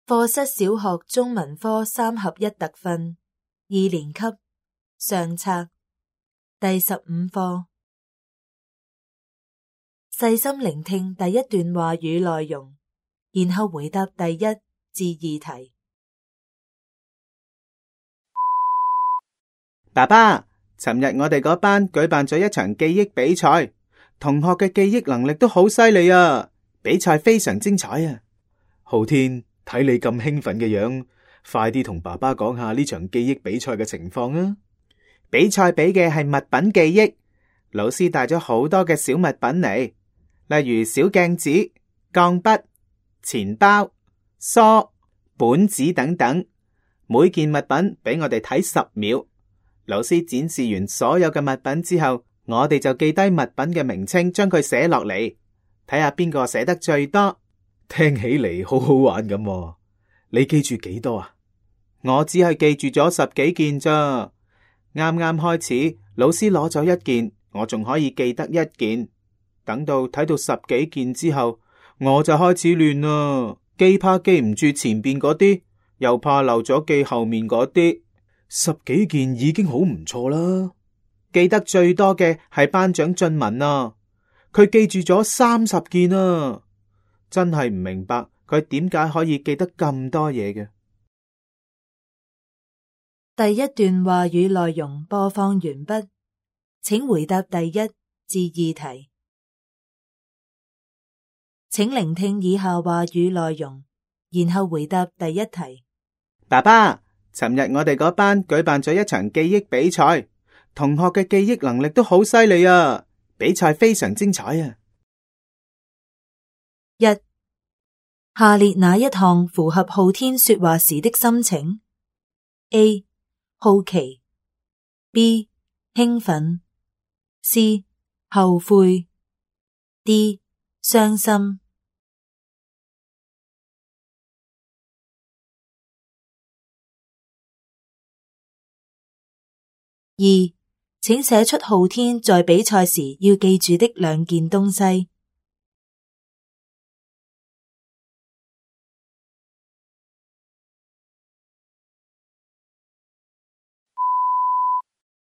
課室小學中文科3合1特訓2年級上冊第15課。細心聆聽第一段話語內容，然後回答第1至2題。爸爸，尋日我哋嗰班舉辦咗一場記憶比賽，同學嘅記憶能力都好犀利啊！比賽非常精彩啊！浩天，睇你咁興奮嘅樣，快啲同爸爸講下呢場記憶比賽嘅情況啊！比賽比嘅係物品記憶，老師帶咗好多嘅小物品嚟，例如小鏡子、鋼筆、錢包、梳、本子等等。每件物品俾我哋睇10秒。老師展示完所有嘅物品之後，我哋就記低物品嘅名稱，將佢寫落嚟，睇下邊個寫得最多。聽起嚟好好玩咁喎，你記住幾多啊？我只係記住咗10幾件咋。啱啱開始，老師攞咗1件，我仲可以記得1件。等到睇到10幾件之後，我就開始亂啦，既怕記唔住前邊嗰啲，又怕漏咗記後面嗰啲。10幾件已經好唔錯啦。記得最多嘅係班長俊文啊，佢記住咗30件啊。真係唔明白佢點解可以記得咁多嘢嘅。第一段話語內容播放完畢，請回答第1至2題。請聆聽以下話語內容，然後回答第1題。爸爸，尋日我哋嗰班舉辦咗一場記憶比賽，同學嘅記憶能力都好犀利啊！比賽非常精彩啊！1. 下列哪一項符合浩天說話時的心情 ？A. 好奇 B. 興奮 C. 後悔 D. 傷心。2. 請寫出浩天在比賽時要記住的2件東西。